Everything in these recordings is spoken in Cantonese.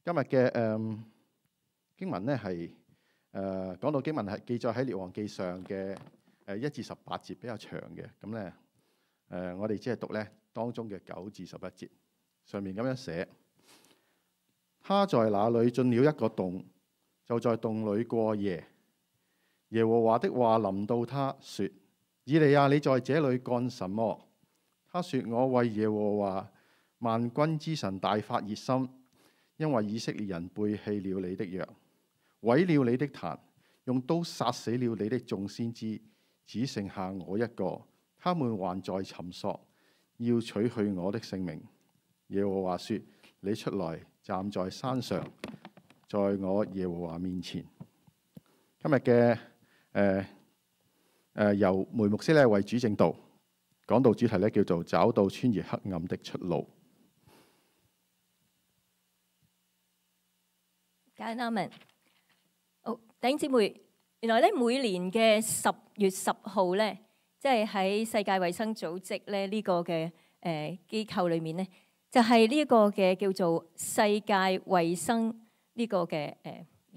今日嘅經文咧係講到經文係記載喺列王記上嘅1至18節，比較長嘅。咁咧我哋只係讀咧當中嘅9至11節。上面咁樣寫：他在那裏進了一個洞，就在洞裏過夜。耶和華的話臨到他說：以利亞，你在這裏幹什麼？他說：我為耶和華萬軍之神大發熱心，因為以色列人背棄了你的約，毀了你的壇，用刀殺死了你的眾先知，只剩下我一個，他們還在尋索，要取去我的性命。耶和華說：你出來站在山上，在我耶和華面前。今日嘅由梅牧師咧為主證道，講道主題咧叫做找到穿越黑暗的出路。家人們，好，弟兄姊妹，原來咧每年嘅10月10號咧，即係喺世界衛生組織咧呢個嘅機構裏面咧，就係呢一個嘅叫做世界衛生呢個嘅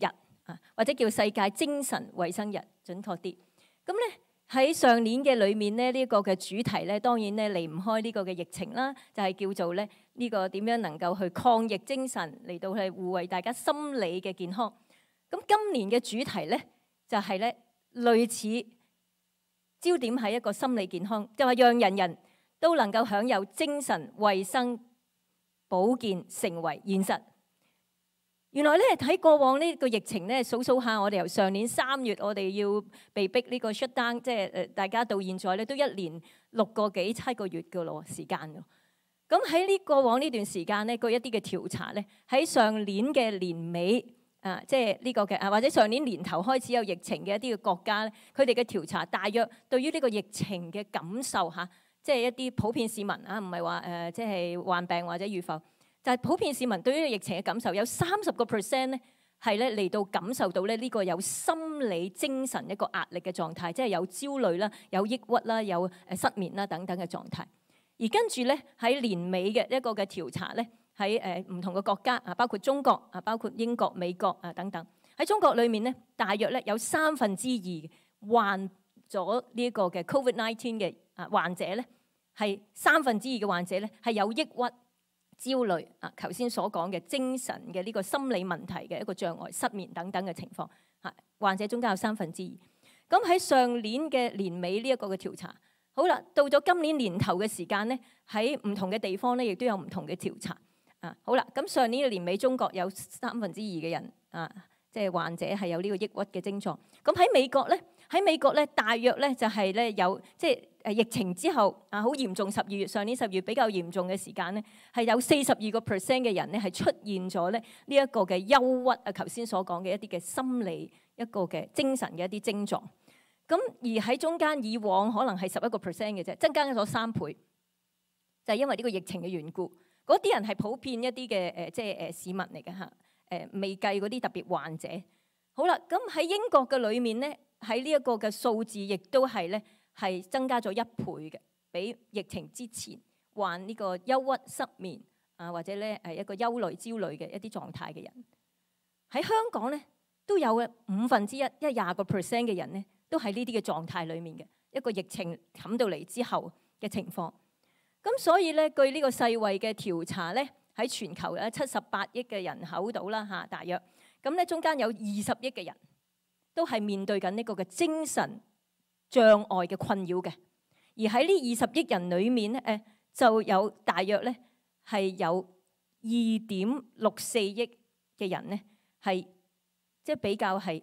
日啊，或者叫世界精神衛生日，準確啲。咁咧喺上年嘅裏面咧，呢個嘅主題咧，當然咧離唔開呢個嘅疫情啦，就係叫做咧呢個點樣能夠去抗疫精神嚟到去護衛大家心理嘅健康。咁今年嘅主題咧就係咧類似焦點係一個心理健康，就係讓人人都能夠享有精神衛生保健成為現實。原來咧喺過往呢個疫情咧數數下，我哋由上年3月我哋要被逼呢個 shut down， 即係大家到現在咧都1年6個幾7個月嘅咯時間咯。咁喺呢過往呢段時間咧，據一啲嘅調查咧，喺上年嘅年尾即係呢個嘅或者上年年頭開始有疫情嘅一啲嘅國家咧，佢哋嘅調查大約對於呢個疫情嘅感受嚇，即係一啲普遍市民啊，唔係話即係患病或者預防。就係普遍市民對於疫情嘅感受，有30% 咧係咧嚟到感受到咧呢個有心理精神一個壓力嘅狀態，即係有焦慮啦、有抑鬱啦、有失眠啦等等嘅狀態。而跟住咧喺年尾嘅一個嘅調查咧，喺唔同嘅國家啊，包括中國啊，包括英國、美國啊等等。喺中國裏面咧，大約咧有2/3患咗呢一個嘅 COVID-19 嘅患者咧，係2/3嘅患者咧係有抑鬱、焦慮啊，頭先所講嘅精神嘅呢個心理問題嘅一個障礙、失眠等等嘅情況嚇，患者中間有2/3。咁喺上年嘅年尾呢一個嘅調查，好啦，到咗今年年頭嘅時間咧，喺唔同嘅地方咧，亦都有唔同嘅調查啊。好啦，咁上年嘅年尾，中國有2/3嘅人啊，即係患者係有呢個抑鬱嘅症狀。咁喺美國咧，大約咧就係咧有即係疫情之後啊，好嚴重12月，上年10月比較嚴重嘅時間咧，係有42% 嘅人咧係出現咗咧呢一個嘅憂鬱啊，頭先所講嘅一啲嘅心理一個嘅精神嘅一啲症狀。咁而喺中間以往可能係11% 嘅啫，增加咗3倍，就係因為呢個疫情嘅緣故。嗰啲人係普遍一啲嘅即係市民嚟嘅嚇，未計嗰啲特別患者。好啦，咁喺英國嘅裏面咧，喺呢一個嘅數字亦都係咧係增加咗1倍嘅，比疫情之前患呢個憂鬱、失眠啊，或者咧一個憂慮、焦慮嘅一啲狀態嘅人。喺香港咧都有1/5，即係20% 嘅人咧都喺呢啲嘅狀態裡面嘅一個疫情冚到嚟之後嘅情況。咁所以咧，據呢個世衛嘅調查咧，喺全球有78億嘅人口度啦嚇，大約咁咧中間有20億嘅人都係面對緊呢個嘅精神障礙嘅困擾嘅。而喺呢20億人裡面咧，就有大約咧係有2.64億嘅人咧係即係比較係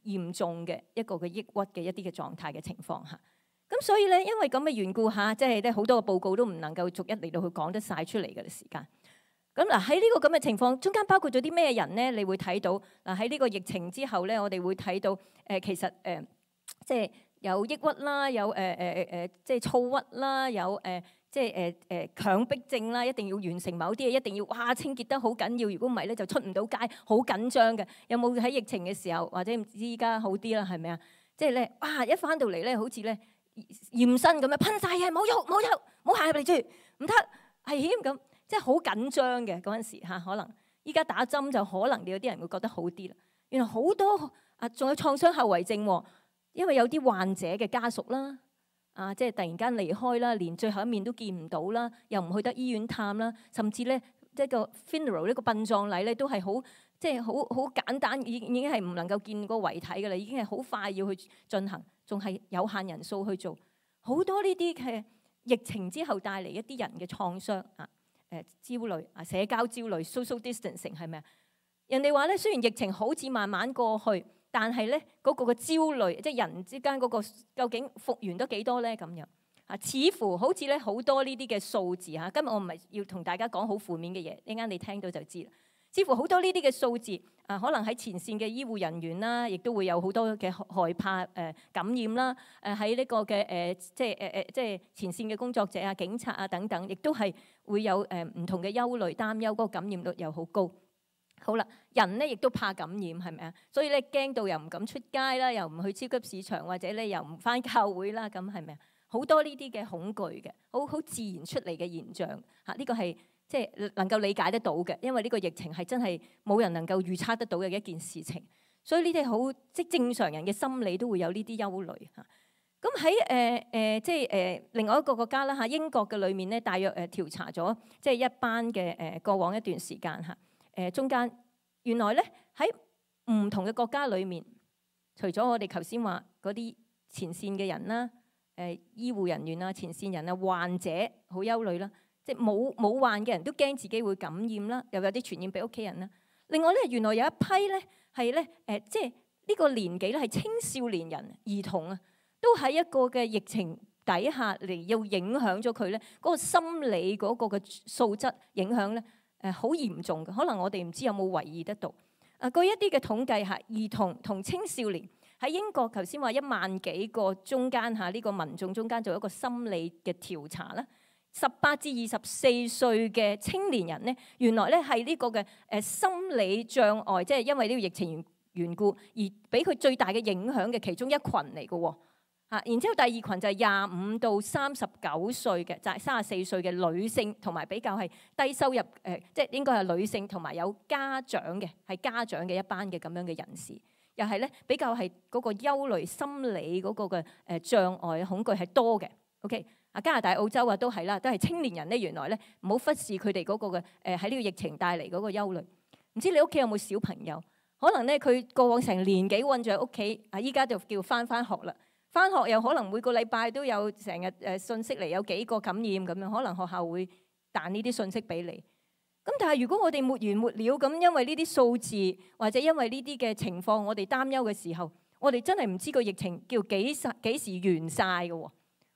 嚴重嘅一個嘅抑鬱嘅一啲嘅狀態嘅情況嚇。咁所以咧，因為咁嘅緣故嚇，即係咧好多個報告都唔能夠逐一嚟到去講得晒出嚟嘅時間。咁嗱喺呢個咁嘅情況中間，包括咗啲咩人咧？你會睇到嗱喺呢個疫情之後咧，我哋會睇到其實即係有抑鬱啦，有即係躁鬱啦，有即係強迫症啦，一定要完成某啲嘢，一定要哇清潔得好緊要，如果唔係咧就出唔到街，好緊張嘅。有冇喺疫情嘅時候，或者唔知依家好啲啦，係咪啊？即係咧哇一翻到嚟咧，好似咧〜驗身咁樣噴晒嘢，冇喐冇喐，冇行入嚟住，唔得危險咁，即係好緊張嘅嗰陣時嚇，可能依家打針就可能有啲人會覺得好啲啦。原來好多仲有創傷後遺症喎，因為有啲患者嘅家屬啦，即係突然間離開啦，連最後一面都見唔到啦，又唔去得醫院探啦，甚至咧即係個 funeral 呢個殯葬禮咧都係好即係好簡單，已經係唔能夠見個遺體㗎啦，已經係好快要去進行，仲係有限人數去做。好多呢啲嘅疫情之後帶嚟一啲人嘅創傷焦慮社交焦慮 social distancing 係咪啊？人哋話咧，雖然疫情好似慢慢過去，但係咧嗰個嘅焦慮，即係人之間嗰個究竟復原得幾多咧？咁樣似乎好似咧好多呢啲嘅數字今日我唔係要同大家講好負面嘅嘢，一陣間你聽到就知啦。似乎好多呢啲嘅數字可能喺前線嘅醫護人員啦，亦都會有好多嘅害怕感染啦。喺呢個嘅即係前線嘅工作者警察等等，亦都係會有唔同嘅憂慮擔憂，嗰個感染率又好高。好啦，人咧亦都怕感染，係咪啊？所以咧驚到又唔敢出街啦，又唔去超級市場，或者咧又唔返教會啦，咁係咪啊？好多呢啲嘅恐懼嘅，好自然出嚟嘅現象呢個係即係能夠理解得到嘅，因為呢個疫情係真係冇人能夠預測得到嘅一件事情，所以呢啲好即正常人嘅心理都會有呢啲憂慮嚇。咁喺即係另外一個國家啦英國嘅裏面咧，大約調查咗即係一班嘅過往一段時間中間原來咧喺唔同嘅國家裏面，除咗我哋頭先話嗰啲前線嘅人啦、醫護人員前線人患者好憂慮啦，即係冇患嘅人都驚自己會感染啦，又有啲傳染俾屋企人啦。另外咧，原來有一批咧係咧即係呢個年紀咧係青少年人、兒童都喺一個嘅疫情底下嚟要影響咗佢咧嗰個心理嗰個嘅素質影響咧。好嚴重嘅，可能我哋唔知有冇留意得到。據一啲嘅統計兒童同青少年喺英國頭先話1萬幾個中間呢個民眾中間做一個心理嘅調查啦。18至24歲嘅青年人咧，原來咧係呢個嘅心理障礙，即係因為呢個疫情緣故而俾佢最大嘅影響嘅其中一群嚟嘅喎。然之後第二群就係25到39歲嘅，就係34歲嘅女性，同埋比較係低收入即係應該係女性同埋有家長嘅，係家長嘅一班嘅咁樣嘅人士，又係咧比較係嗰個憂慮心理嗰個嘅障礙恐懼係多嘅。OK， 加拿大、澳洲都係啦，都係青年人咧。原來咧唔好忽視佢哋嗰個嘅喺呢個疫情帶嚟嗰個憂慮。唔知你屋企有冇小朋友？可能咧佢過往成年幾韞住喺屋企，依家就叫返學啦。返學又可能每個禮拜都有成日信息嚟，有幾個感染咁樣，可能學校會彈呢啲信息俾你。咁但係如果我哋沒完沒了咁，因為呢啲數字或者因為呢啲嘅情況，我哋擔憂嘅時候，我哋真係唔知個疫情叫幾時完晒嘅喎。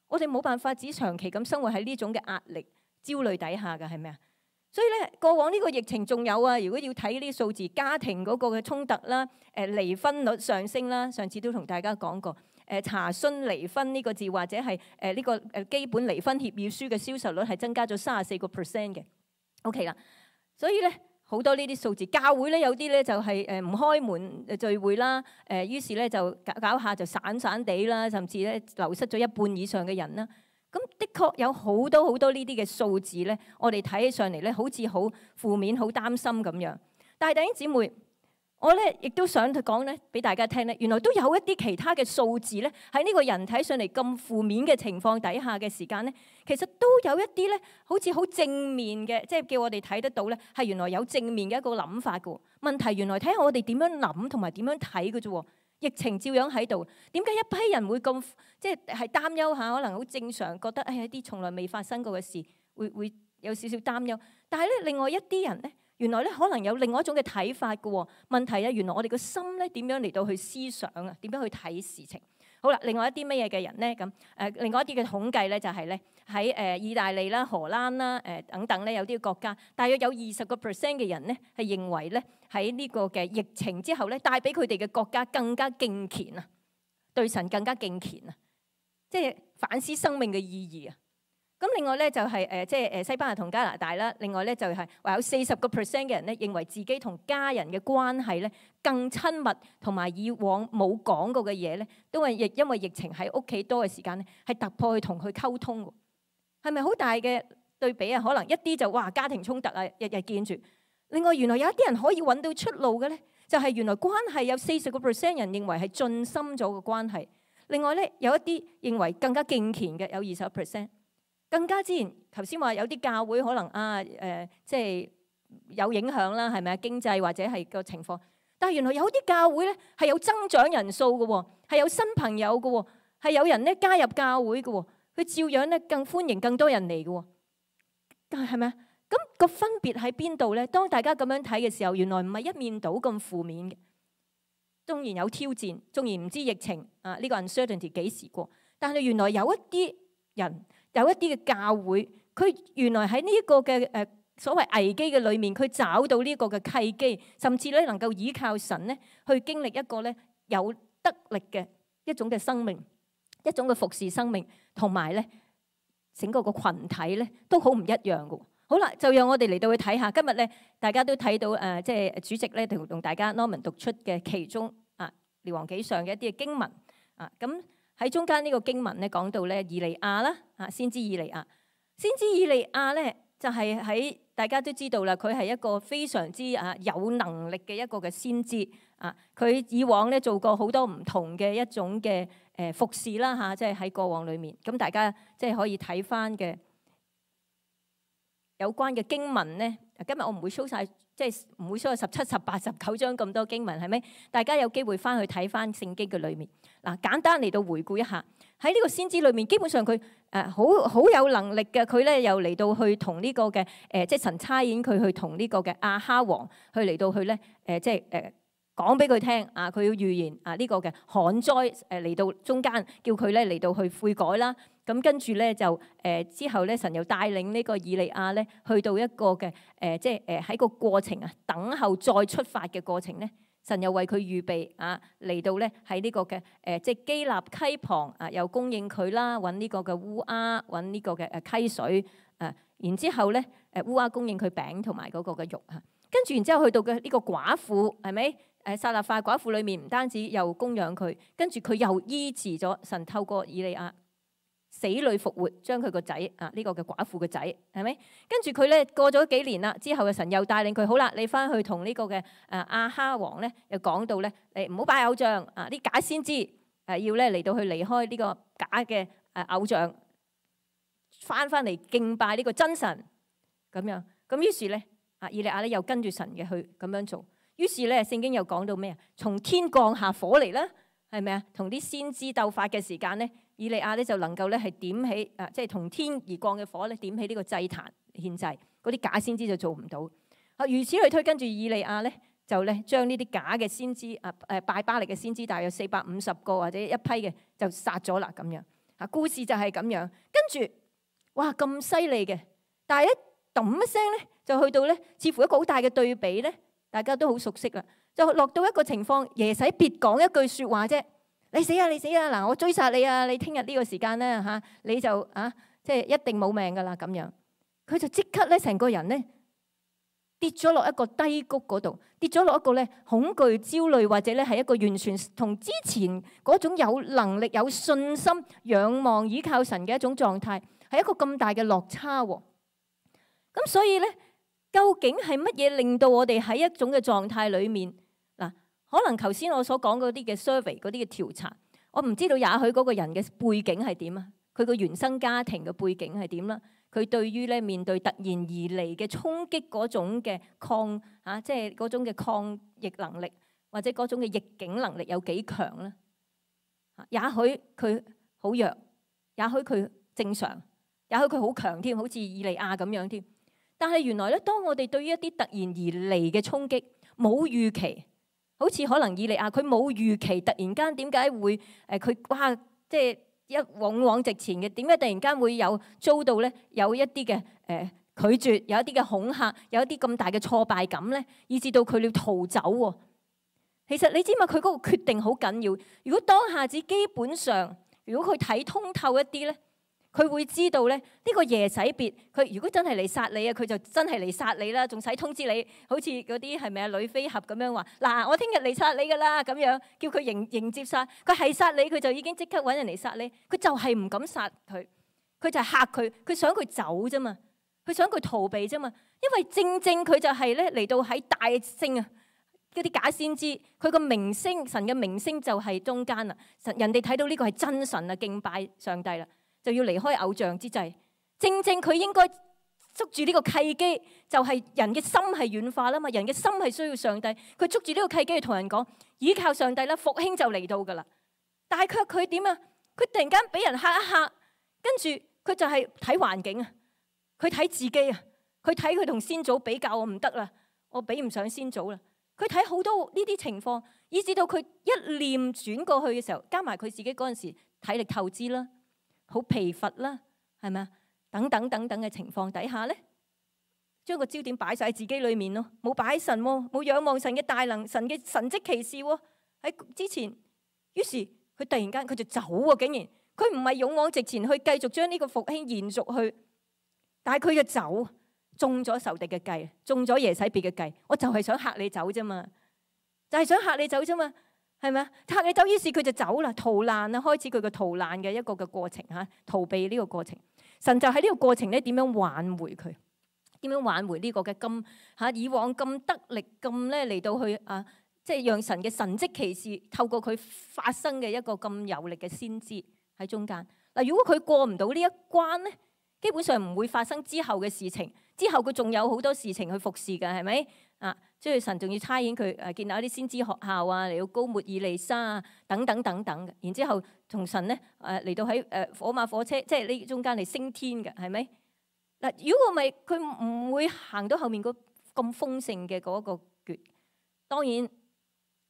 我哋冇辦法只長期咁生活喺呢種嘅壓力、焦慮底下嘅，係咪啊？所以咧，過往呢個疫情仲有如果要睇呢啲數字，家庭嗰個嘅衝突啦，離婚率上升啦，上次都同大家講過。查詢離婚呢個字，或者係呢個基本離婚協議書嘅銷售率係增加咗34% 嘅。OK 啦，所以咧好多呢啲數字，教會咧有啲咧就係唔開門聚會啦，於是咧就搞下就散散地啦，甚至咧流失咗一半以上嘅人啦。咁的確有好多呢啲嘅數字咧，我哋睇起上嚟咧好似好負面、好擔心咁樣。但係弟兄姊妹，我咧亦都想講咧俾大家聽咧，原來都有一啲其他嘅數字咧，喺呢個人睇上嚟咁負面嘅情況底下嘅時間咧，其實都有一啲咧，好似好正面嘅，即係叫我哋睇得到咧，係原來有正面嘅一個諗法嘅。問題原來睇下我哋點樣諗同埋點樣睇嘅啫。疫情照樣喺度，點解一批人會咁即係擔憂下？可能好正常，覺得一啲從來未發生過嘅事，會有少少擔憂。但係咧，另外一啲人咧。原來咧可能有另外一種嘅睇法嘅喎。問題原來我哋個心咧點樣嚟到去思想啊？點樣去睇事情？好啦，另外一啲乜嘢嘅人咧咁另外一啲嘅統計咧就係咧喺意大利啦、荷蘭啦等等咧有啲國家，大約有20% 嘅人咧係認為咧喺呢個嘅疫情之後咧帶俾佢哋嘅國家更加敬虔啊，對神更加敬虔啊，即係反思生命嘅意義啊。咁另外咧就係即係西班牙同加拿大啦。另外咧就係話有40% 嘅人咧認為自己同家人嘅關係咧更親密，同埋以往冇講過嘅嘢咧，都係因為疫情喺屋企多嘅時間咧，係突破去同佢溝通喎。係咪好大嘅對比啊？可能一啲就哇家庭衝突啊，日日見住。另外，原來有一啲人可以揾到出路嘅咧，就係原來關係有40% 人認為係進深咗嘅關係。另外咧，有一啲認為更加敬虔嘅有20%。更加之前頭先話有啲教會可能即係有影響啦，係咪啊？經濟或者係個情況。但係原來有啲教會咧係有增長人數嘅喎，係有新朋友嘅喎，係有人咧加入教會嘅喎，佢照樣咧更歡迎更多人嚟嘅喎。但係咪啊？咁個分別喺邊度咧？當大家咁樣睇嘅時候，原來唔係一面倒咁負面嘅。當然有挑戰，縱然唔知疫情呢個 uncertainty 幾時過，但係原來有一啲人，有一啲嘅教會，佢原來喺呢一個嘅所謂危機嘅裏面，佢找到呢個嘅契機，甚至咧能夠依靠神咧去經歷一個咧有得力嘅一種嘅生命，一種嘅服侍生命，同埋咧整個個群體咧都好唔一樣嘅。好啦，就讓我哋嚟到去睇下，今日咧大家都睇到即係主席咧同大家 Norman 讀出嘅其中列王紀上嘅一啲嘅經文咁喺中間呢個經文咧講到咧以利亞啦先知以利亞，先知以利亞咧就係喺大家都知道啦，佢係一個非常之有能力嘅一個嘅先知佢以往咧做過好多唔同嘅一種嘅服侍啦即係喺過往裏面，咁大家即係可以睇翻嘅。有關嘅經文咧，今日我唔會 show 晒，即係唔會 show 17、18、19章咁多經文，係咪？大家有機會翻去睇翻聖經嘅裏面。簡單嚟到回顧一下，喺呢個先知裏面，基本上佢好有能力嘅，佢咧又嚟到去同呢個嘅即係神差遣佢去同呢個嘅亞哈王去嚟到去咧即係講俾佢聽佢要預言呢個嘅旱災嚟到中間，叫佢咧嚟到去悔改啦。咁跟住咧就之後咧，神又帶領呢個以利亞咧去到一個嘅即係喺個過程等候再出發嘅過程咧，神又為佢預備嚟到咧喺呢個嘅即係基立溪旁又供應佢啦，揾呢個嘅烏鴉，揾呢個嘅溪水然之後咧烏鴉供應佢餅同埋嗰個嘅肉跟住然之後去到嘅呢個寡婦係咪？撒勒法寡婦裏面唔單止又供養佢，跟住佢又醫治咗，神透過以利亞死裏復活，將佢個仔呢個嘅寡婦嘅仔係咪？跟住佢咧過咗幾年啦，之後嘅神又帶領佢，好啦，你翻去同呢個嘅亞哈王咧，又講到咧，你唔好拜偶像啲假先知要咧嚟到去離開呢個假嘅偶像，翻嚟敬拜呢個真神咁樣。咁於是咧以利亞咧又跟住神嘅去咁樣做。於是咧聖經又講到咩啊？從天降下火嚟啦，係咪啊？同啲先知鬥法嘅時間咧，以利亞咧就能夠咧係點起即係同天而降嘅火咧，點起呢個祭壇獻祭，嗰啲假先知就做唔到。如此類推，跟住以利亞咧就咧將呢啲假嘅先知拜巴力嘅先知，大約450個或者一批嘅就殺咗啦咁樣。故事就係咁樣。跟住哇咁犀利嘅，但係一揼一聲咧就去到咧，似乎一個好大嘅對比咧。大家都好熟悉啦，就落到一個情況，耶洗別講一句説話啫，你死啊你死啊！嗱，我追殺你啊！你聽日呢個時間咧你就即係一定冇命噶啦咁樣。佢就即刻咧成個人咧跌咗落一個低谷嗰度，跌咗落一個咧恐懼、焦慮或者咧係一個完全同之前嗰種有能力、有信心、仰望、倚靠神嘅一種狀態，係一個咁大嘅落差喎。咁所以咧。究竟係乜嘢令到我哋喺一種嘅狀態裏面嗱？可能頭先我所講嗰啲嘅 survey 嗰啲嘅調查，我唔知道，也許嗰個人嘅背景係點啊？佢個原生家庭嘅背景係點啦？佢對於咧面對突然而嚟嘅衝擊嗰種嘅即係嗰種嘅抗逆能力，或者嗰種嘅逆境能力有幾強咧？也許佢好弱，也許佢正常，也許佢好強添，好似以利亞咁樣添。但係原來咧，當我哋對於一啲突然而嚟嘅衝擊冇預期，好似可能以利亞佢冇預期，突然間點解會佢哇即係一勇往直前嘅，點解突然間會有遭到咧有一啲嘅拒絕，有一啲嘅恐嚇，有一啲咁大嘅挫敗感咧，以至到佢要逃走喎。其實你知嘛？佢嗰個決定好緊要。如果當下子基本上，如果佢睇通透一啲咧。佢會知道咧，呢個耶洗別，佢如果真係嚟殺你啊，佢就真係嚟殺你啦，仲使通知你，好似嗰啲係咪啊女飛俠咁樣話嗱，我聽日嚟殺你噶啦咁樣，叫佢迎接殺。佢係殺你，佢就已經即刻揾人嚟殺你。佢就係唔敢殺佢，佢就係嚇佢，佢想佢走啫嘛。佢想佢逃避啫嘛。因為正正佢就係咧嚟到喺大聲啊，嗰啲假先知，佢個名聲，神嘅名聲就係中間啦。人哋睇到呢個係真神啊，敬拜上帝啦，就要離開偶像之際。正正佢應該捉住呢個契機，就係人嘅心係軟化啦嘛，人嘅心係需要上帝。佢捉住呢個契機去同人講，依靠上帝啦，復興就嚟到噶啦。但係佢點啊？佢突然間俾人嚇一嚇，跟住佢就係睇環境啊，佢睇自己啊，佢睇佢同先祖比較，我唔得啦，我比唔上先祖啦。佢睇好多呢啲情況，以至到佢一念轉過去嘅時候，加埋佢自己嗰陣時體力透支啦，好疲乏啦，係咪啊？等等等等嘅情況底下咧，將個焦點擺晒喺自己裏面咯，冇擺神喎，冇仰望神嘅大能，神嘅神蹟奇事喎喺之前。於是佢突然間佢就走喎，竟然佢唔係勇往直前去繼續將呢個復興延續去，但係佢就走。中咗仇敵嘅計，中咗耶洗別嘅計，我就係想嚇你走啫嘛，就係想嚇你走啫嘛，係咪啊？嚇你走，於是佢就走啦，逃難啦，開始佢個逃難嘅一個嘅過程嚇，逃避呢個過程。神就喺呢個過程咧，點樣挽回佢？點樣挽回呢個嘅咁嚇以往咁得力咁咧嚟到去啊，即係讓神嘅神蹟奇事透過佢發生嘅一個咁有力嘅先知喺中間嗱。如果佢過唔到呢一關咧，基本上唔會發生之後嘅事情。之後佢仲有好多事情去服侍嘅，係咪啊？即係神仲要差遣佢建立一啲先知學校啊，嚟到膏抹以利沙啊，等等等等嘅。然之後同神咧嚟到喺火馬火車，即係呢中間嚟升天嘅，係咪嗱？如果咪佢唔會行到後面咁豐盛嘅嗰個決。當然，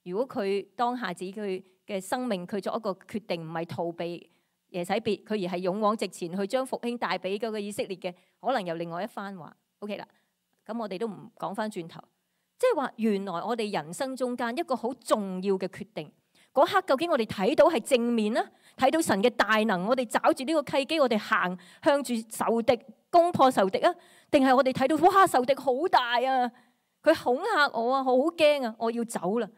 如果佢當下自己佢嘅生命，佢作一個決定，唔係逃避耶洗別，佢而係勇往直前去將復興帶俾嗰個以色列嘅，可能有另外一番話。OK 啦，咁我哋都唔講翻轉頭，即係話原來我哋人生中間一個好重要嘅決定，嗰刻究竟我哋睇到係正面啦，睇到神嘅大能，我哋抓住呢個契機，我哋行向住仇敵攻破仇敵啊，定係我哋睇到哇仇敵好大啊，佢恐嚇我啊，好驚啊，我要走啦。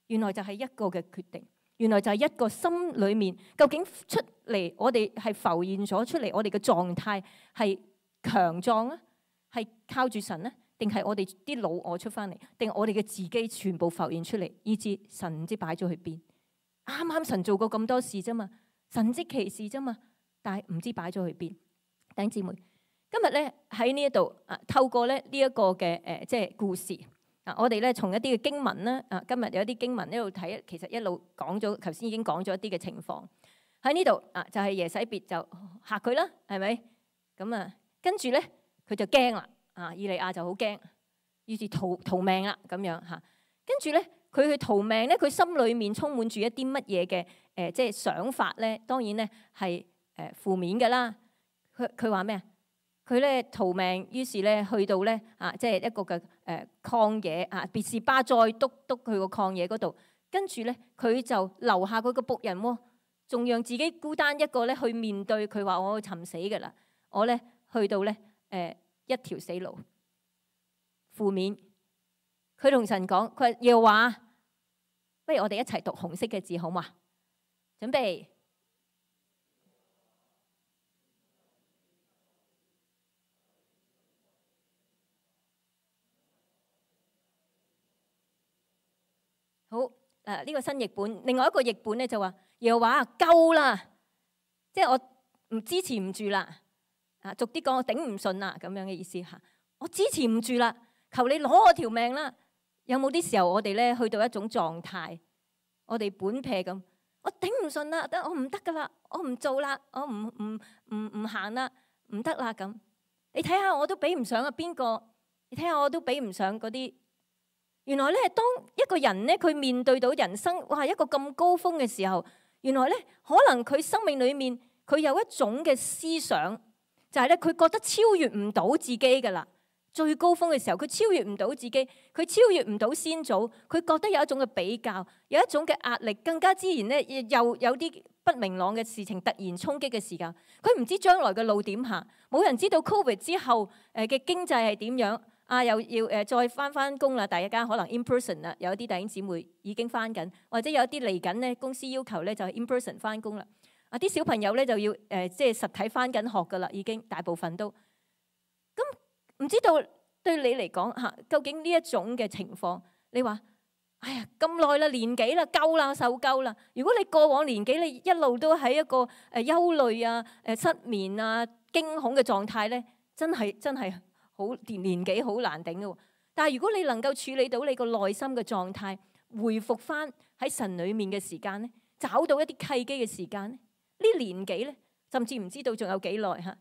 原來就係一個嘅決定，原來就係一個心裏面究竟出嚟，我哋係浮現咗出嚟，我哋嘅狀態係強壯啊，係靠住神咧，定係我哋啲老我出翻嚟，定係我哋嘅自己全部浮現出嚟，以致神唔知擺咗去邊。啱啱神做過咁多事啫嘛，神蹟奇事啫嘛，但係唔知擺咗去邊。弟兄姊妹，今日咧喺呢一度透過咧呢一個嘅即係故事我哋咧從一啲嘅經文咧今日有一啲經文呢度睇，其實一路講咗，頭先已經講咗一啲嘅情況喺呢度就係耶洗別就嚇佢啦，係咪咁跟住咧佢就驚啦以利亞就好驚，於是逃命啦咁樣嚇。跟住咧佢去逃命咧，佢心裏面充滿住一啲乜嘢嘅即係想法咧？當然咧係負面嘅啦。佢話咩啊？佢咧逃命，於是咧去到咧即係一個嘅曠野別是巴再督去個曠野嗰度，跟住咧佢就留下佢個僕人喎，仲讓自己孤單一個咧去面對佢話我尋死㗎啦，我咧去到咧一條死路。負面，佢同神講，佢話耶和華，不如我哋一齊讀紅色嘅字好嘛？準備。好呢個新譯本，另外一個譯本咧就話耶和華夠啦，即係我唔支持唔住啦，逐啲講我頂唔順啦咁樣嘅意思嚇，我支持唔住啦，求你攞我條命啦。有冇啲時候我哋咧去到一種狀態，我哋本撇咁，我頂唔順啦，我唔得噶啦，我唔做啦，我唔行啦，唔得啦咁。你睇下我都比唔上邊個，你睇下我都比唔上嗰啲。原來咧，當一個人咧，佢面對到人生哇一個咁高峰嘅時候，原來咧可能佢生命裏面佢有一種嘅思想，就係咧佢覺得超越唔到自己㗎啦。最高峰嘅時候，佢超越唔到自己，佢超越唔到先祖，佢覺得有一種嘅比較，有一種嘅壓力，更加自然咧又有啲不明朗嘅事情突然衝擊嘅時間，佢唔知將來嘅路點行，冇人知道 Covid 之後嘅經濟係點樣。又要再翻工啦，大家可能 in person 啦，有啲弟兄姊妹已經翻緊，或者有啲嚟緊咧，公司要求咧就係 in person 翻工啦。啲小朋友咧就要即係實體翻緊學噶啦，已經大部分都。咁唔知道對你嚟講嚇，究竟呢一種嘅情況，你話哎呀咁耐啦，年幾啦，夠啦，受夠啦。如果你過往年幾你一路都喺一個憂慮啊、失眠啊、驚恐嘅狀態咧，真係好年紀好難頂嘅。但係如果你能夠處理到你個內心嘅狀態，回復翻喺神裡面嘅時間咧，找到一啲契機嘅時間咧，呢年紀咧，甚至唔知道仲有幾耐嚇，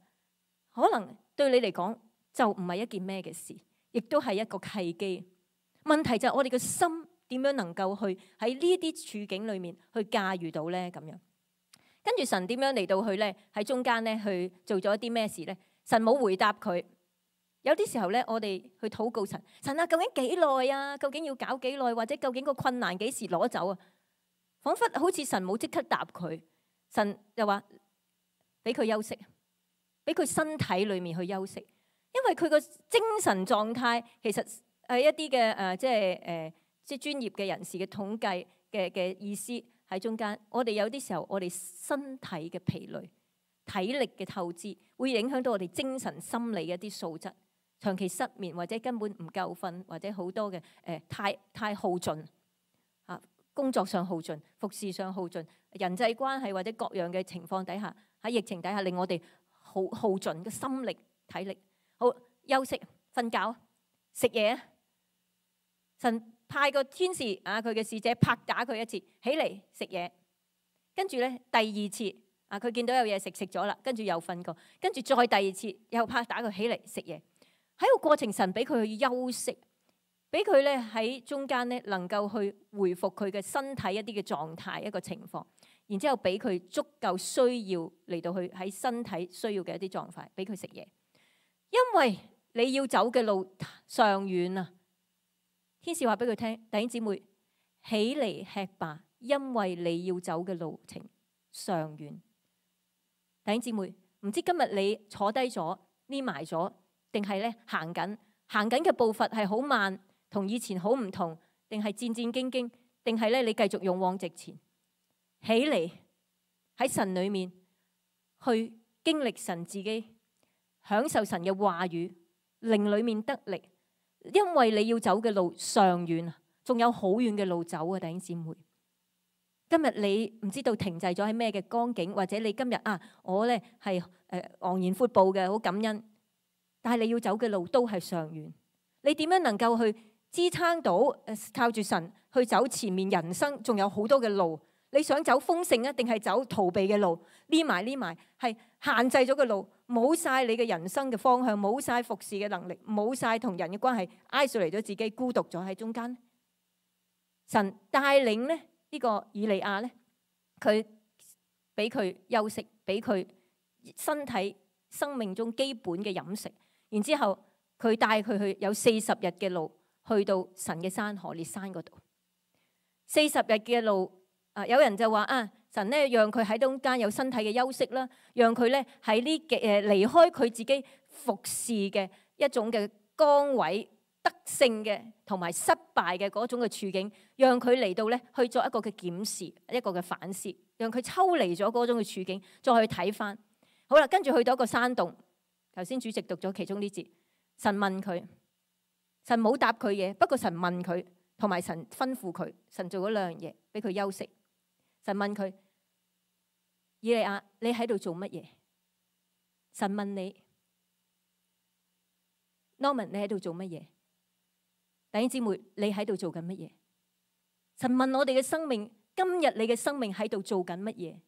可能對你嚟講就唔係一件咩嘅事，亦都係一個契機。問題就係我哋嘅心點樣能夠去喺呢啲處境裡面去駕馭到咧咁樣。跟住神點樣嚟到去咧喺中間咧去做咗一啲咩事咧？神冇回答佢。有啲時候咧，我哋去禱告神，神啊，究竟幾耐啊？究竟要搞幾耐？或者究竟個困難幾時攞走啊？彷彿好似神冇即刻答佢，神就話俾佢休息，俾佢身體裏面去休息，因為佢個精神狀態其實係一啲嘅即係專業嘅人士嘅統計嘅意思喺中間。我哋有啲時候，我哋身體嘅疲累、體力嘅透支，會影響到我哋精神心理嘅一啲素質。長期失眠或者根本唔夠瞓，或者好多嘅太耗盡啊，工作上耗盡，服侍上耗盡，人際關係或者各樣嘅情況底下，喺疫情底下令我哋耗盡嘅心力體力。好，休息瞓覺食嘢。神派個天使啊，佢嘅使者拍打佢一次，起嚟食嘢。跟住咧第二次啊，佢見到有嘢食咗啦，跟住又瞓過，跟住再第二次又拍打佢起嚟食嘢。喺個過程，神俾佢去休息，俾佢咧喺中間咧能夠去回復佢嘅身體一啲嘅狀態一個情況，然之後俾佢足夠需要嚟到去喺身體需要嘅一啲狀態，俾佢食嘢。因為你要走嘅路尚遠啊！天使話俾佢聽，弟兄姊妹起嚟吃吧，因為你要走嘅路程尚遠。弟兄姊妹，唔知今日你坐低咗匿埋咗，定係咧行緊嘅步伐係好慢，同以前好唔同，定係戰戰兢兢，定係咧你繼續勇往直前，起嚟喺神裏面去經歷神自己，享受神嘅話語，靈裏面得力，因為你要走嘅路尚遠啊，仲有好遠嘅路走啊，弟兄姊妹。今日你唔知道停滯咗喺咩嘅光景，或者你今日我咧係昂然闊步嘅，好感恩。但係你要走嘅路都係尚遠，你點樣能夠去支撐到靠住神去走前面人生仲有好多嘅路？你想走豐盛啊，定係走逃避嘅路？匿埋係限制咗嘅路，冇晒你嘅人生嘅方向，冇晒服侍嘅能力，冇晒同人嘅關係，isolate嚟咗自己，孤獨咗喺中間。神帶領咧呢個以利亞咧，佢俾佢休息，俾佢身體生命中基本嘅飲食。然之後，佢帶佢去有40日嘅路，去到神嘅山何烈山嗰度。40日嘅路，有人就話神咧讓佢喺中間有身體嘅休息啦，讓佢咧喺呢離開佢自己服侍嘅一種嘅崗位，得勝嘅同埋失敗嘅嗰種嘅處境，讓佢嚟到咧去做一個嘅檢視，一個嘅反思，讓佢抽離咗嗰種嘅處境，再去睇翻。好啦，跟住去到一個山洞。頭先主席讀咗其中呢節，神問佢，神冇答佢嘢，不過神問佢，同埋神吩咐佢，神做咗兩樣嘢，俾佢休息。神問佢，以利亞，你喺度做乜嘢？神問你 Norman， 你喺度做乜嘢？弟兄姊妹，你喺度做緊乜嘢？神問我哋嘅生命，今日你嘅生命喺度做緊乜嘢？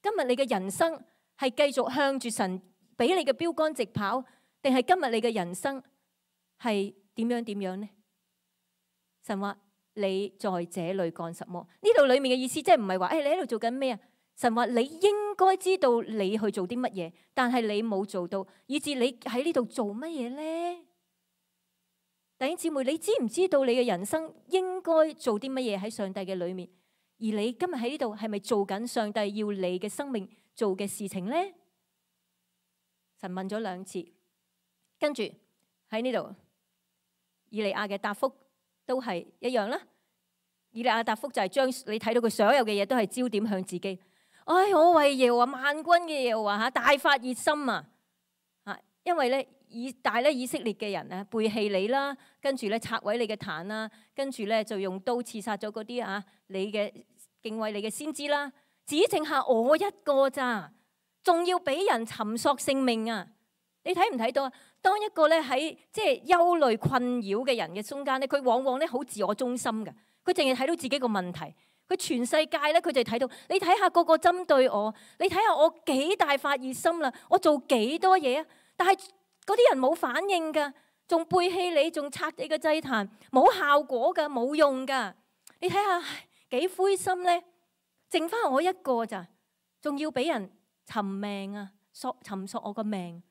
今日你嘅人生係繼續向住神俾你嘅標杆直跑，定係今日你嘅人生係點樣呢？神話你在這裏幹什麼？呢度裏面嘅意思即係唔係話你喺度做緊咩啊？神話你應該知道你去做啲乜嘢，但係你冇做到，以致你喺呢度做乜嘢呢？弟兄姊妹，你知唔知道你嘅人生應該做啲乜嘢喺上帝嘅裏面？而你今日喺呢度係咪做緊上帝要你嘅生命做嘅事情呢？神問咗兩次，跟住喺呢度，以利亞嘅答覆都係一樣啦。以利亞答覆就係將你睇到佢所有嘅嘢都係焦點向自己。我為耶和華萬軍嘅耶和華大發熱心啊！因為咧以色列嘅人咧背棄你啦，跟住咧拆毀你嘅壇啦，跟住咧就用刀刺殺咗嗰啲你嘅敬畏你嘅先知啦，只剩下我一個咋，仲要俾人尋索性命啊！你睇唔睇到啊？當一個咧喺即係憂慮困擾嘅人嘅中間咧，佢往往咧好自我中心嘅，佢淨係睇到自己個問題。佢全世界咧，佢就睇到你睇下個個針對我，你睇下我幾大發熱心啦，我做幾多嘢啊！但係嗰啲人冇反應㗎，仲背棄你，仲拆你個祭壇，冇效果㗎，冇用㗎。你睇下幾灰心咧，剩翻我一個咋，仲要俾人尋命啊，尋索我個命。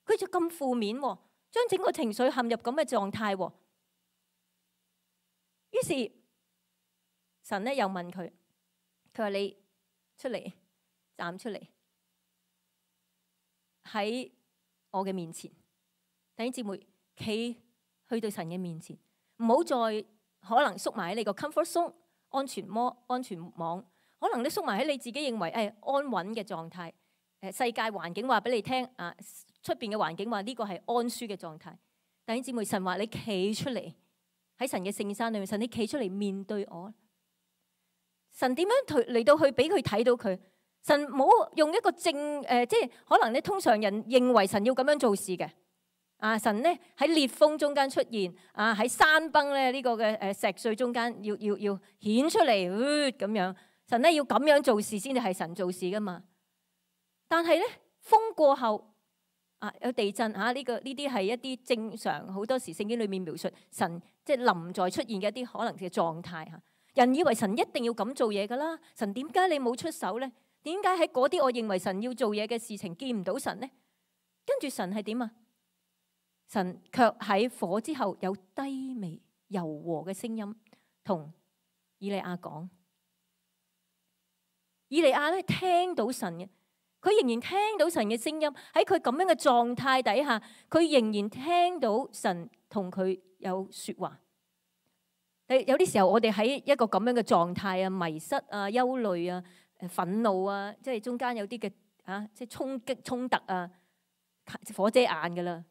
佢就咁負面喎，將整個情緒陷入咁嘅狀態喎。於是神咧又問佢，佢話你出嚟，站出嚟喺我嘅面前。弟兄姊妹，企去到神嘅面前，唔好再可能縮埋喺你個 comfort zone 安全網，可能你縮埋喺你自己認為安穩嘅狀態。世界環境話俾你聽啊，出邊嘅環境話呢個係安舒嘅狀態。弟兄姊妹，神話你企出嚟喺神嘅聖山裏面，神你企出嚟面對我。神點樣嚟到去俾佢睇到佢？神冇用一個即係可能咧，通常人認為神要咁樣做事嘅。神咧喺烈風中間出現，喺山崩咧呢個嘅石碎中間要顯出嚟咁樣。神咧要咁樣做事先至係神做事噶嘛。但係咧風過後有地震呢啲係一啲正常，好多時聖經裏面描述神即係臨在出現嘅一啲可能嘅狀態嚇。人以為神一定要咁做嘢噶啦，神點解你冇出手咧？點解喺嗰啲我認為神要做嘢嘅事情見唔到神咧？跟住神係點啊？神卻喺火之後有低微柔和嘅聲音同以利亞講。以利亞咧聽到神嘅，佢仍然聽到神嘅聲音。喺佢咁樣嘅狀態底下，佢仍然聽到神同佢有說話。有啲時候我哋喺一個咁樣嘅狀態啊，迷失啊、憂慮啊、憤怒啊，即係中間有啲嘅即係衝擊衝突啊，火遮眼噶啦，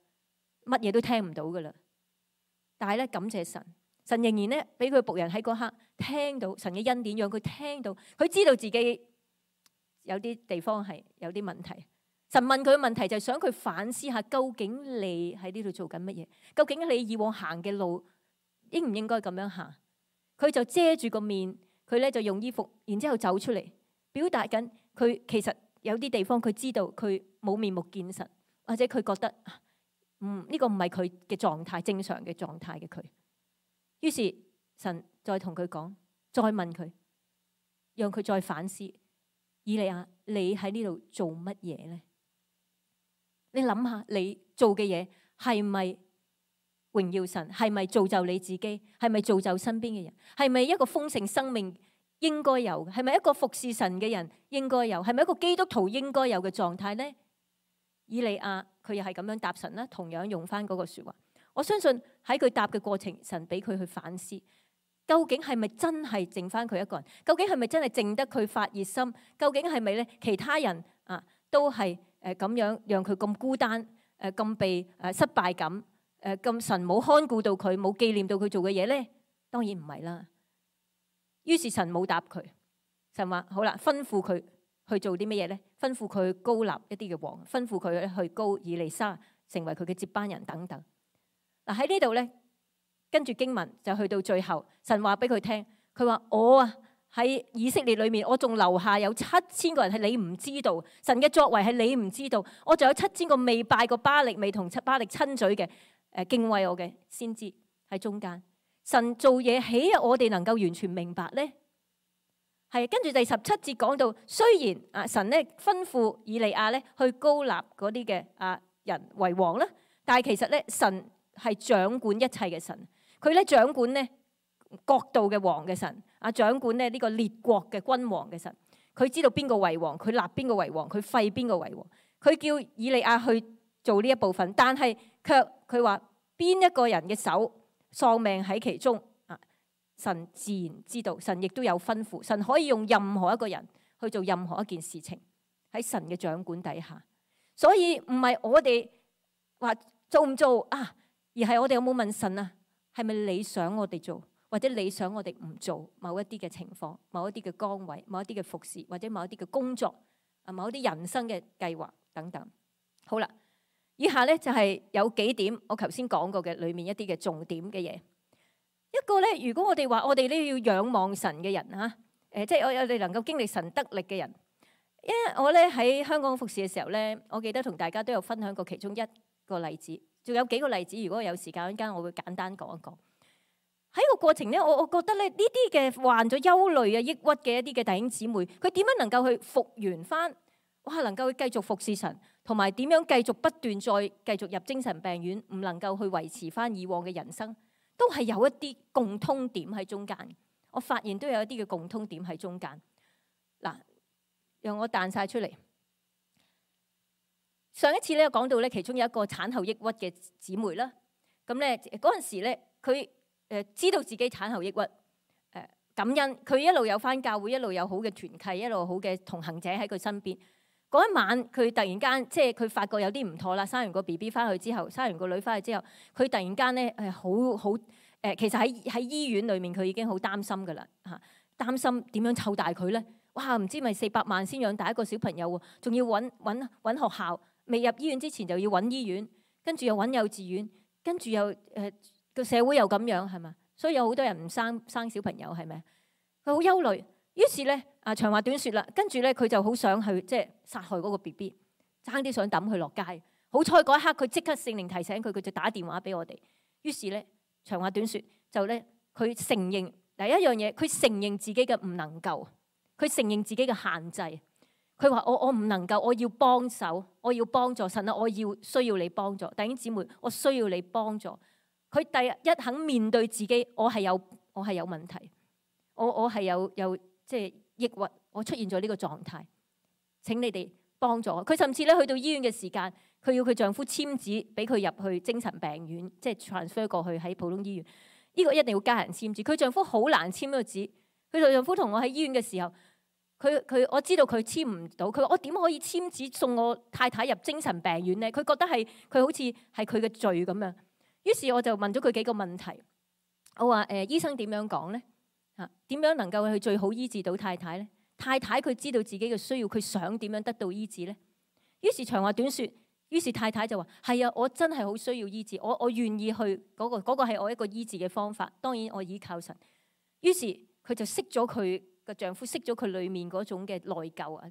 乜嘢都聽唔到噶啦。但係咧感謝神，神仍然咧俾佢僕人喺嗰刻聽到神嘅恩典，讓佢聽到，佢知道自己有啲地方係有啲問題。神問佢嘅問題就係想佢反思下，究竟你喺呢度做緊乜嘢？究竟你以往行嘅路應唔應該咁樣行？佢就遮住個面，佢咧就用衣服，然之後走出嚟，表達緊佢其實有啲地方佢知道佢冇面目見神，或者佢覺得呢個唔係佢嘅狀態，正常嘅狀態嘅佢。於是神再同佢講，再問佢，讓佢再反思。以利亞，你喺呢度做乜嘢咧？你諗下，你做嘅嘢係咪榮耀神？係咪造就你自己？係咪造就身邊嘅人？係咪一個豐盛生命應該有嘅？係咪一個服侍神嘅人應該有？係咪一個基督徒應該有嘅狀態呢？以利亞佢又係咁樣答神啦，同樣用翻嗰個說話。我相信喺佢答嘅過程，神俾佢去反思，究竟係咪真係剩翻佢一個人？究竟係咪真係淨得佢發熱心？究竟係咪咧其他人都係咁樣讓佢咁孤單，咁被失敗感，咁神冇看顧到佢，冇紀念到佢做嘅嘢咧？當然唔係啦。於是神冇答佢，神話好啦，吩咐佢去做啲乜嘢咧？吩咐佢去膏立一啲嘅王，吩咐佢去膏以利沙成為佢嘅接班人等等。嗱喺呢度咧，跟住經文就去到最後，神話俾佢聽，佢話我喺以色列裏面，我仲留下有7000個人係你唔知道，神嘅作為係你唔知道，我仲有7000個未拜過巴力、未同巴力親嘴嘅敬畏我嘅先知喺中間。神做嘢豈有我哋能夠完全明白呢？係跟住第17節講到，雖然神咧吩咐以利亞咧去膏立嗰啲嘅人為王啦，但係其實咧神係掌管一切嘅神，佢咧掌管咧國度嘅王嘅神，掌管咧呢個列國嘅君王嘅神，佢知道邊個為王，佢立邊個為王，佢廢邊個為王，佢叫以利亞去做呢一部分，但係卻佢話邊一個人嘅手喪命喺其中，神自然知道，神亦都有吩咐，神可以用任何一個人去做任何一件事情，喺神嘅掌管底下。所以唔係我哋話做唔做啊？而係我哋有冇問神啊？係咪你想我哋做，或者你想我哋唔做某一啲嘅情況、某一啲嘅崗位、某一啲嘅服侍，或者某一啲嘅工作啊、某一啲人生嘅計劃等等。好啦，以下咧就係有幾點我頭先講過嘅裏面一啲嘅重點嘅嘢。一個咧，如果我哋話我哋咧要仰望神嘅人嚇，即係我哋能夠經歷神得力嘅人。因為我咧喺香港服侍嘅時候咧，我記得同大家都有分享過其中一個例子，仲有幾個例子。如果有時間，陣間我會簡單講一講。喺個過程咧，我覺得咧呢啲嘅患咗憂慮啊、抑鬱嘅一啲嘅弟兄姊妹，佢點樣能夠去復原翻？哇，能夠去繼續服侍神，同埋點樣繼續不斷再繼續入精神病院，唔能夠去維持翻以往嘅人生，都係有一啲共通點喺中間。我發現都有一啲嘅共通點喺中間。嗱，讓我彈晒出嚟。上一次咧講到咧，其中有一個產後抑鬱嘅姊妹啦。咁咧嗰陣時咧，佢知道自己產後抑鬱，感恩佢一路有返教會，一路有好嘅團契，一路好嘅同行者喺佢身邊。嗰一晚佢突然間即係佢發覺有啲唔妥啦。生完個 BB 翻去之後，生完個女翻去之後，佢突然間咧其實喺醫院裏面佢已經好擔心噶啦嚇，擔心點樣湊大佢咧？哇！唔知咪400萬先養大一個小朋友喎，仲要揾學校，未入醫院之前就要揾醫院，跟住又揾幼稚園，跟住又個社會又咁樣係嘛？所以有好多人唔生小朋友係咪？佢好憂慮，於是咧長話短説啦，跟住咧佢就好想去即係殺害嗰個 BB， 爭啲想抌佢落街。好彩嗰一刻佢即刻聖靈提醒佢，佢就打電話俾我哋。於是咧長話短説就咧佢承認第一樣嘢，佢承認自己嘅唔能夠，佢承認自己嘅限制。佢話我唔能夠，我要幫手，我要幫助神啊！我要需要你幫助弟兄姊妹，我需要你幫助。佢第一肯面對自己，我係有問題，我係有即係抑鬱，我出現咗呢個狀態。請你哋幫助我。佢甚至咧去到醫院嘅時間，佢要佢丈夫簽紙俾佢入去精神病院，即係 transfer 過去喺普通醫院。呢個一定要家人簽字。佢丈夫好難簽呢個紙。佢丈夫同我喺醫院嘅時候，我知道佢簽唔到。佢話我點可以簽紙送我太太入精神病院咧？佢覺得佢好似係佢嘅罪咁樣。於是我就問咗佢幾個問題。我話醫生點樣講咧？點樣能夠去最好醫治到太太咧？太太佢知道自己嘅需要，佢想點樣得到醫治咧？於是長話短説，於是太太就話：係啊，我真係好需要醫治，我願意去嗰個係我一個醫治嘅方法。當然我依靠神。於是佢就熄咗佢個丈夫，熄咗佢裡面嗰種嘅內疚啊。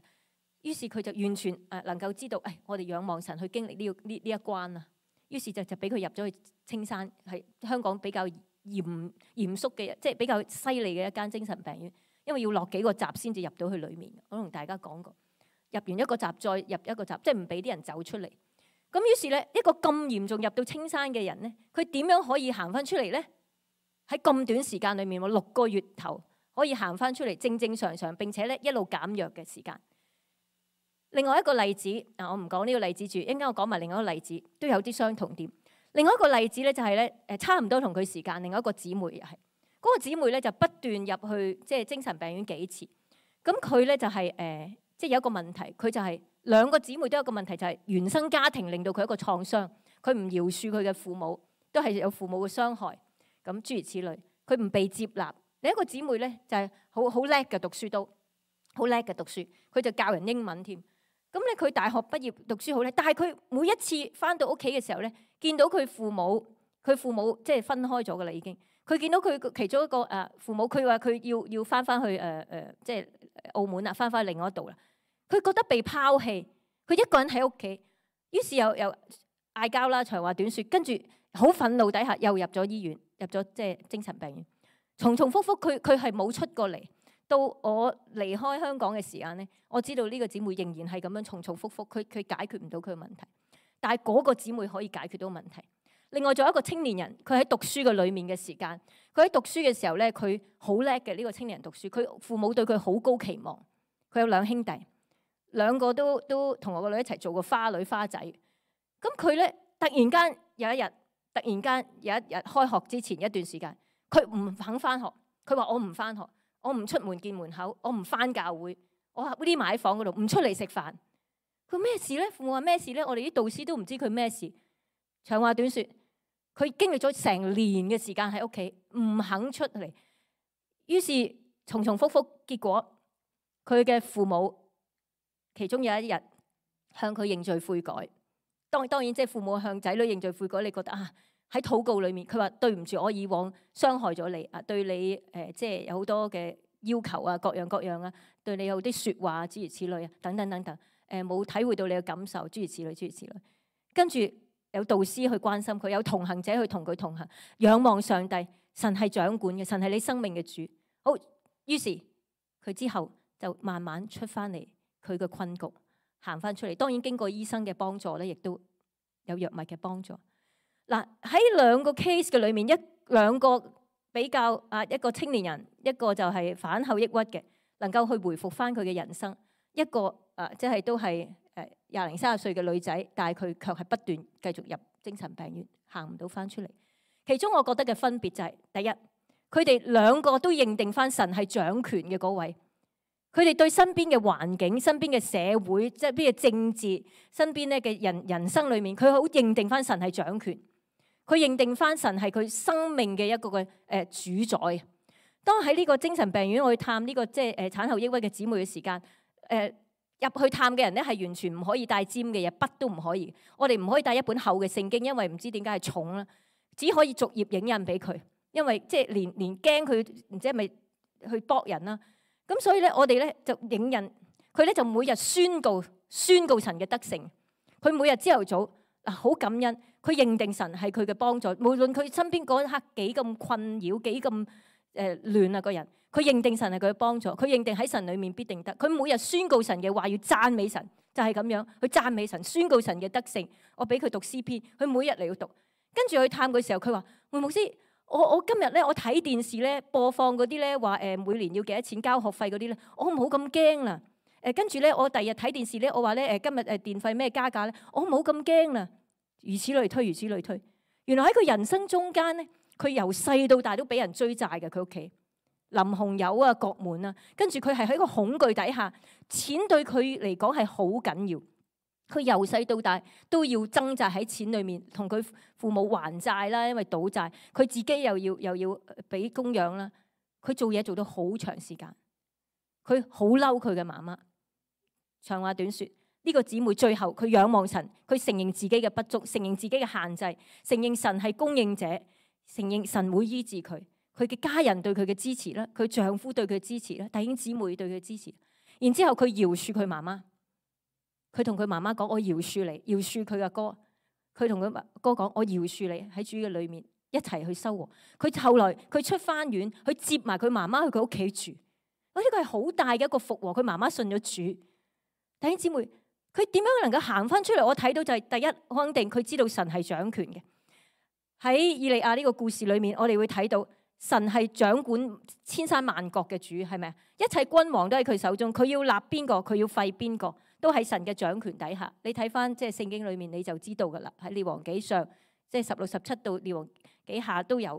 於是佢就完全能夠知道，我哋仰望神去經歷呢一關啊。於是就俾佢入咗去青山，係香港比較嚴肅嘅，即係比較犀利嘅一間精神病院，因為要落幾個閘先至入到去裡面。我同大家講過，入完一個閘再入一個閘，即係唔俾啲人走出嚟。咁於是咧，一個咁嚴重入到青山嘅人咧，佢點樣可以行翻出嚟咧？喺咁短時間裏面，6個月頭可以行翻出嚟，正正常常，並且咧一路減藥嘅時間。另外一個例子，我唔講呢個例子住，一陣間我講埋另外一個例子，都有啲相同點。另外一個例子咧就係咧，差唔多同佢時間，另外一個姊妹又係嗰個姊妹咧就不斷入去即係精神病院幾次。咁佢咧就係即係有一個問題，佢就係兩個姊妹都有一個問題，就係原生家庭令到佢一個創傷，佢唔饒恕佢嘅父母，都係有父母嘅傷害。咁諸如此類，佢唔被接納。另一個姊妹咧就係好叻嘅讀書，都好叻嘅讀書，佢就教人英文添。咁咧佢大學畢業讀書好叻，但係佢每一次翻到屋企嘅時候咧，見到佢父母即係分開咗噶啦已經。佢見到佢其中一個父母，佢話佢要翻去即係澳門啦，翻去另外一度啦。佢覺得被拋棄，佢一個人喺屋企，於是又嗌交啦，長話短説，跟住好憤怒底下又入咗醫院，入咗即係精神病院，重複複佢係冇出過嚟。到我離開香港嘅時間咧，我知道呢個姊妹仍然係咁樣重複複，佢解決唔到佢嘅問題，但係嗰個姊妹可以解決到問題。另外仲有一個青年人，佢喺讀書嘅裏面嘅時間，佢喺讀書嘅時候咧，佢好叻嘅呢個青年人讀書，佢父母對佢好高期望。佢有2兄弟，兩個都同我個女一齊做過花女花仔。咁佢咧突然間有一日開學之前一段時間，佢唔肯翻學，佢話我唔翻學。我唔出門見門口，我唔翻教會，我匿埋喺房嗰度，唔出嚟食飯。佢咩事咧？父母話咩事咧？我哋啲導師都唔知佢咩事。長話短説，佢經歷咗成年嘅時間喺屋企，唔肯出嚟。於是重重複複，結果佢嘅父母其中有一日向佢認罪悔改。當然即係父母向仔女認罪悔改，你覺得啊，喺禱告裏面，佢話對唔住，我以往傷害咗你啊，對你即係有好多嘅要求啊，各樣各樣啊，對你有啲説話諸如此類啊，等等等等，冇體會到你嘅感受諸如此類諸如此類。跟住有導師去關心佢，有同行者去同佢同行，仰望上帝，神係掌管嘅，神係你生命嘅主。好，於是佢之後就慢慢出翻嚟佢嘅困局。行翻出嚟，當然經過醫生嘅幫助咧，亦都有藥物嘅幫助。嗱，喺兩個 case 嘅裏面，兩個比較一個青年人，一個就係反後抑鬱嘅，能夠去回復翻佢嘅人生；一個即係都係20零30歲嘅女仔，但係佢卻係不斷繼續入精神病院，行唔到翻出嚟。其中我覺得嘅分別就係，第一，佢哋兩個都認定翻神係掌權嘅嗰位。佢哋對身邊嘅環境、身邊嘅社會、即係邊嘅政治、身邊咧嘅人生裏面，佢好認定翻神係掌權。佢認定翻神係佢生命嘅一個嘅主宰。當喺呢個精神病院我去探呢個即係產後抑鬱嘅姊妹嘅時間，入去探嘅人咧係完全唔可以帶尖嘅嘢，筆都唔可以。我哋唔可以帶一本厚嘅聖經，因為唔知點解係重啦，只可以逐頁影印俾佢，因為即係連驚佢唔知係咪去搏人啦。咁所以咧，我哋咧就影印佢咧，就每日宣告神嘅德性。佢每日朝頭早好感恩，佢認定神係佢嘅幫助。無論佢身邊嗰一刻幾咁困擾，幾咁亂啊個人，佢認定神係佢嘅幫助。佢認定喺神裏面必定得。佢每日宣告神嘅話，要讚美神，就係咁樣去讚美神，宣告神嘅德性。我俾佢讀詩篇，佢每日嚟到讀。跟住去探佢嘅時候，佢話：梅牧師。我今日咧，我睇電視咧播放嗰啲咧話每年要幾多錢交學費嗰啲咧，我冇咁驚啦。跟住咧，我第二日睇電視咧，我話咧今日電費咩加價咧，我冇咁驚啦。如此類推，如此類推。原來喺佢人生中間咧，佢由細到大都俾人追債嘅。佢屋企林鴻友啊、國門啊，跟住佢係喺個恐懼底下，錢對佢嚟講係好緊要。佢由細到大都要掙扎喺錢裏面，同佢父母還債啦，因為賭債，佢自己又要俾供養啦。佢做嘢做到好長時間，佢好嬲佢嘅媽媽。長話短説，呢個姊妹最後佢仰望神，佢承認自己嘅不足，承認自己嘅限制，承認神係供應者，承認神會醫治佢。佢嘅家人對佢嘅支持啦，佢丈夫對佢嘅支持啦，弟兄姊妹對佢嘅支持。然之後佢饒恕佢媽媽。佢同佢媽媽講：我饒恕你，饒恕佢嘅哥。佢同佢哥講：我饒恕你，喺主嘅裏面一齊去修和。佢後來佢出翻院，去接埋佢媽媽去佢屋企住。呢個係好大嘅一個復和。佢媽媽信咗主。弟兄姊妹，佢點樣能夠行翻出嚟？我睇到就係第一，肯定佢知道神係掌權嘅。喺以利亞呢個故事裏面，我哋會睇到神係掌管千山萬國嘅主，係咪啊？一切君王都喺佢手中，佢要立邊個，佢要廢邊個。都喺神嘅掌權底下，你睇翻即係聖經裏面你就知道噶啦。喺列王紀上，即係16、17到列王紀下都有。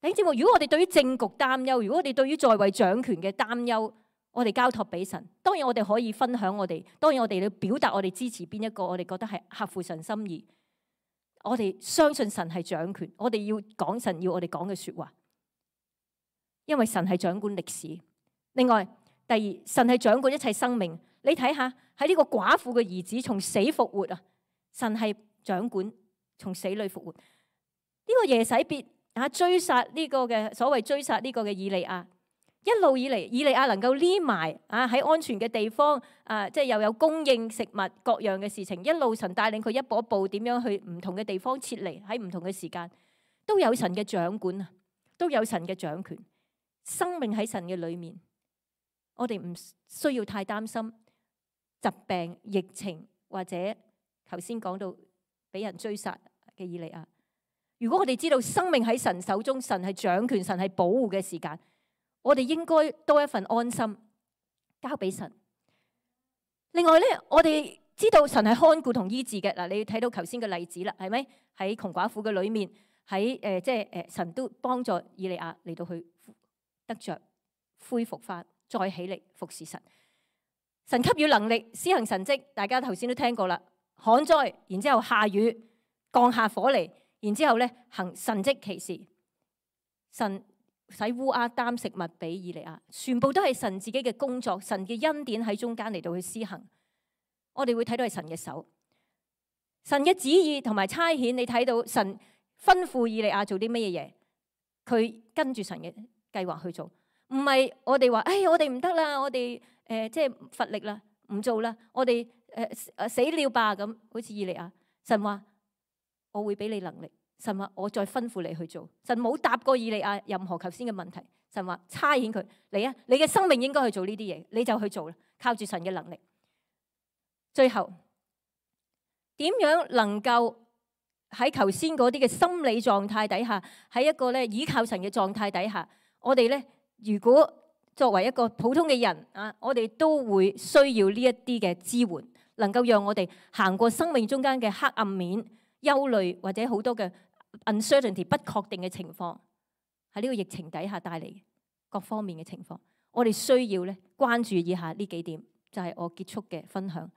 弟兄姊妹，如果我哋對於政局擔憂，如果我哋對於在位掌權嘅擔憂，我哋交託俾神。當然我哋可以分享我哋，當然我哋要表達我哋支持邊一個，我哋覺得係合乎神心意。我哋相信神係掌權，我哋要講神要我哋講嘅說話，因為神係掌管歷史。另外，第二，神係掌管一切生命。你睇下喺呢個寡婦嘅兒子從死復活啊，神係掌管從死裏復活。呢個耶洗別追殺呢個嘅所謂追殺呢個嘅以利亞，一路以嚟以利亞能夠匿埋喺安全嘅地方即係又有供應食物各樣嘅事情，一路神帶領佢一步一步點樣去唔同嘅地方撤離，喺唔同嘅時間都有神嘅掌管啊，都有神嘅掌權。生命喺神嘅裏面。我哋唔需要太擔心疾病、疫情或者頭先講到俾人追殺嘅以利亞。如果我哋知道生命喺神手中，神係掌權，神係保護嘅時間，我哋應該多一份安心，交俾神。另外咧，我哋知道神係看顧同醫治嘅嗱，你睇到頭先嘅例子啦，係咪喺窮寡婦嘅裏面，喺即係神都幫助以利亞嚟到去得着恢復翻。再起嚟服侍神，神給予能力施行神蹟，大家頭先都聽過啦。旱災，然之後下雨，降下火嚟，然之後咧行神蹟奇事，神使烏鴉擔食物俾以利亞，全部都係神自己嘅工作，神嘅恩典喺中間嚟到去施行。我哋會睇到係神嘅手，神嘅旨意同埋差遣。你睇到神吩咐以利亞做啲乜嘢嘢，佢跟住神嘅計劃去做，唔係我哋話，我哋唔得啦，我哋即係乏力啦，唔做啦，我哋死了吧咁，好似以利亞。神話我會俾你能力。神話我再吩咐你去做。神冇答過以利亞任何頭先嘅問題。神話差遣佢嚟啊，你嘅生命應該去做呢啲嘢，你就去做啦。靠住神嘅能力，最後點樣能夠喺頭先嗰啲嘅心理狀態底下，喺一個咧倚靠神嘅狀態底下，我哋咧如果作為一個普通嘅人啊，我哋都會需要呢一啲嘅支援，能夠讓我哋行過生命中間嘅黑暗面、憂慮或者好多嘅uncertainty 不確定嘅情況，喺呢個疫情底下帶嚟各方面嘅情況，我哋需要咧關注以下呢幾點，就係我結束嘅分享。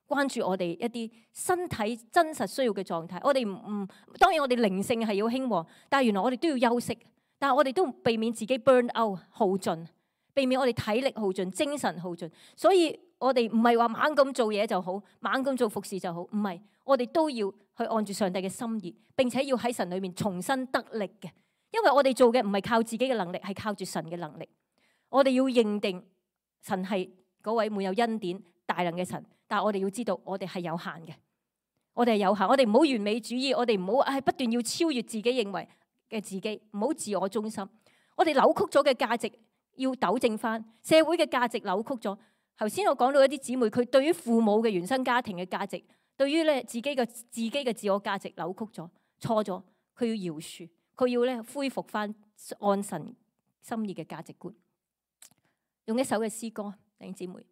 關注我哋一啲身體真實需要嘅狀態。我哋當然我哋靈性係要興旺，但係原來我哋都要休息。但係我哋都避免自己 burn out 耗盡，避免我哋體力耗盡、精神耗盡。所以我哋唔係話猛咁做嘢就好，猛咁做服侍就好，唔係。我哋都要去按住上帝嘅心意，並且要喺神裏面重新得力嘅。因為我哋做嘅唔係靠自己嘅能力，係靠住神嘅能力。我哋要認定神係嗰位滿有恩典、大能嘅神，但係我哋要知道我哋係有限嘅，我哋係有限。我哋唔好完美主義，我哋唔好不斷要超越自己認為嘅自己，唔好自我中心。我哋扭曲咗嘅價值要糾正翻，社會嘅價值扭曲咗。頭先我講到一啲姊妹，佢對於父母嘅原生家庭嘅價值，對於咧自己嘅自我價值扭曲咗、錯咗，佢要饒恕，佢要咧恢復翻按神心意嘅價值觀。用一首嘅詩歌，弟兄姊妹，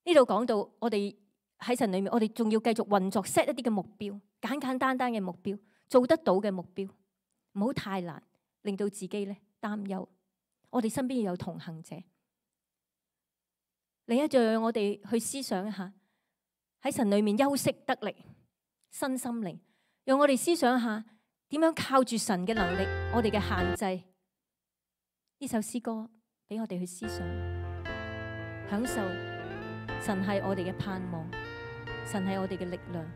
呢度講到我哋喺神裏面，我哋仲要繼續運作 set 一啲嘅目標，簡簡單單嘅目標，做得到嘅目標，唔好太難，令到自己咧擔憂。我哋身邊要有同行者。另一就讓我哋去思想一下，喺神裏面休息得力，身心靈，讓我哋思想一下點樣靠住神嘅能力，我哋嘅限制。呢首詩歌俾我哋去思想，享受神係我哋嘅盼望，神係我哋嘅力量，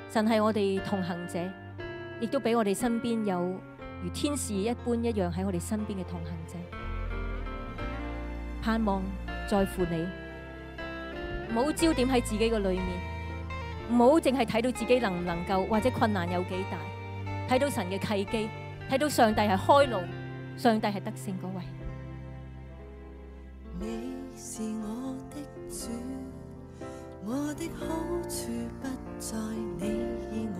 神係我哋同行者，亦都俾我哋身邊有如天使一般一樣喺我哋身邊嘅同行者。盼望在乎你，唔好焦點喺自己嘅裏面，唔好淨係睇到自己能唔能夠，或者困難有幾大，睇到神嘅契機，睇到上帝係開路，上帝係得勝嗰位。你是我的主，我的好處不在你以外，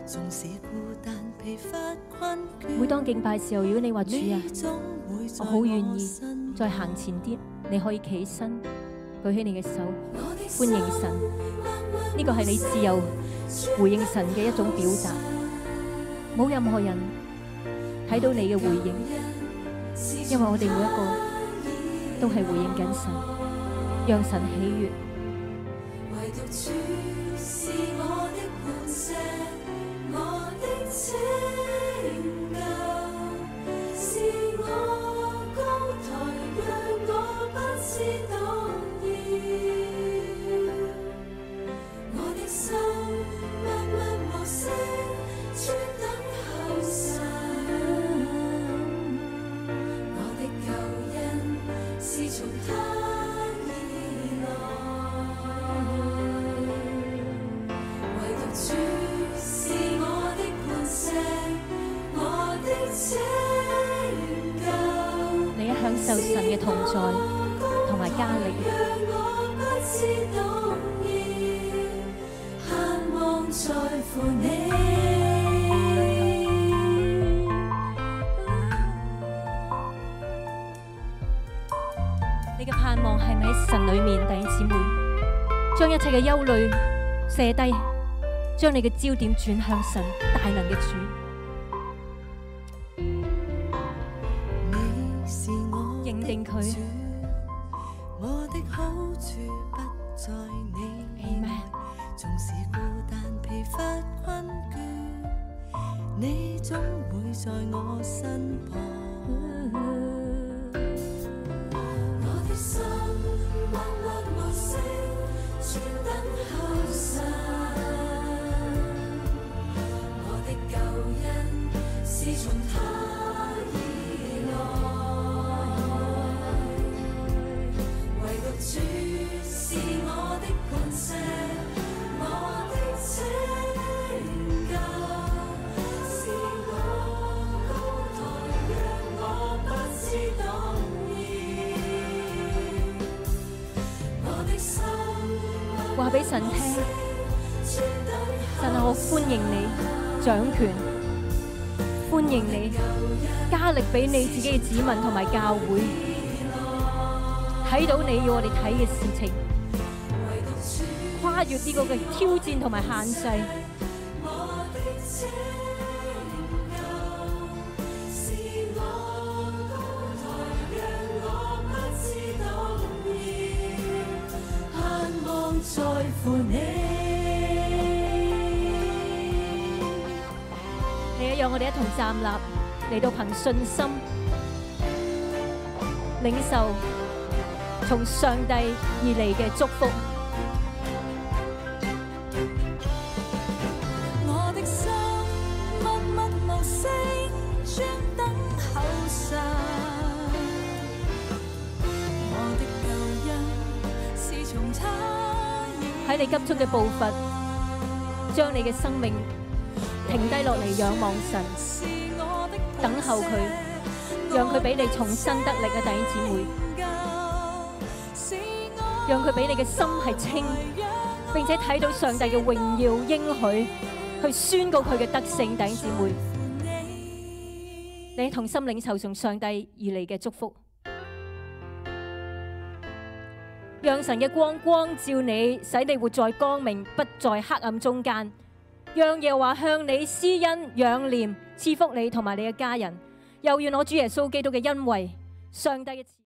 縱使孤單疲乏困倦。每當敬拜時候，如果你話主啊，我好願意再行前啲，你可以企身舉起你嘅手，歡迎神。呢個係你自由回應神嘅一種表達，冇任何人睇到你嘅回應，因為我哋每一個都係回應緊神，讓神喜悅。唯獨主是我的磐石，我的拯救，是我高台，讓我不知動搖。我的心默默無聲，專等候神。我的救恩是從他而來，唯獨主是我的磐石，我的拯救。你一享受神嘅同在同埋加力，讓我不知動搖，盼望在乎你。你嘅盼望係咪喺神裏面？弟兄姊妹，將一切嘅憂慮卸低，將你嘅焦點轉向神大能嘅主。你是我的認定佢主，我的好處不在你以外，縱使孤單疲乏困倦，你總會在我身旁。我的心默默無聲，專等候神。我的救恩是從他而來，唯獨主是我的磐石，我的拯救，是我高台，讓我不知動搖。我的心話俾神聽，神啊，我歡迎你掌權，歡迎你加力俾你自己嘅子民同埋教會，睇到你要我哋睇嘅事情，跨越呢個嘅挑戰同埋限制。在乎你，你讓我哋一同站立，嚟到憑信心領受從上帝而嚟嘅祝福。我的心默默無聲，專等候神。我的救恩是從他。喺你急速嘅步伐，將你嘅生命停低落嚟仰望神，等候佢，讓佢俾你重新得力啊！弟兄姊妹，讓佢俾你嘅心係清，並且睇到上帝嘅榮耀應許，去宣告佢嘅德性。弟兄姊妹，你同心領受從上帝而嚟嘅祝福。讓神嘅光光照你，使你活在光明，不在黑暗中間。讓耶和華向你施恩仰憐，賜福你同埋你嘅家人。又願我主耶穌基督嘅恩惠、上帝嘅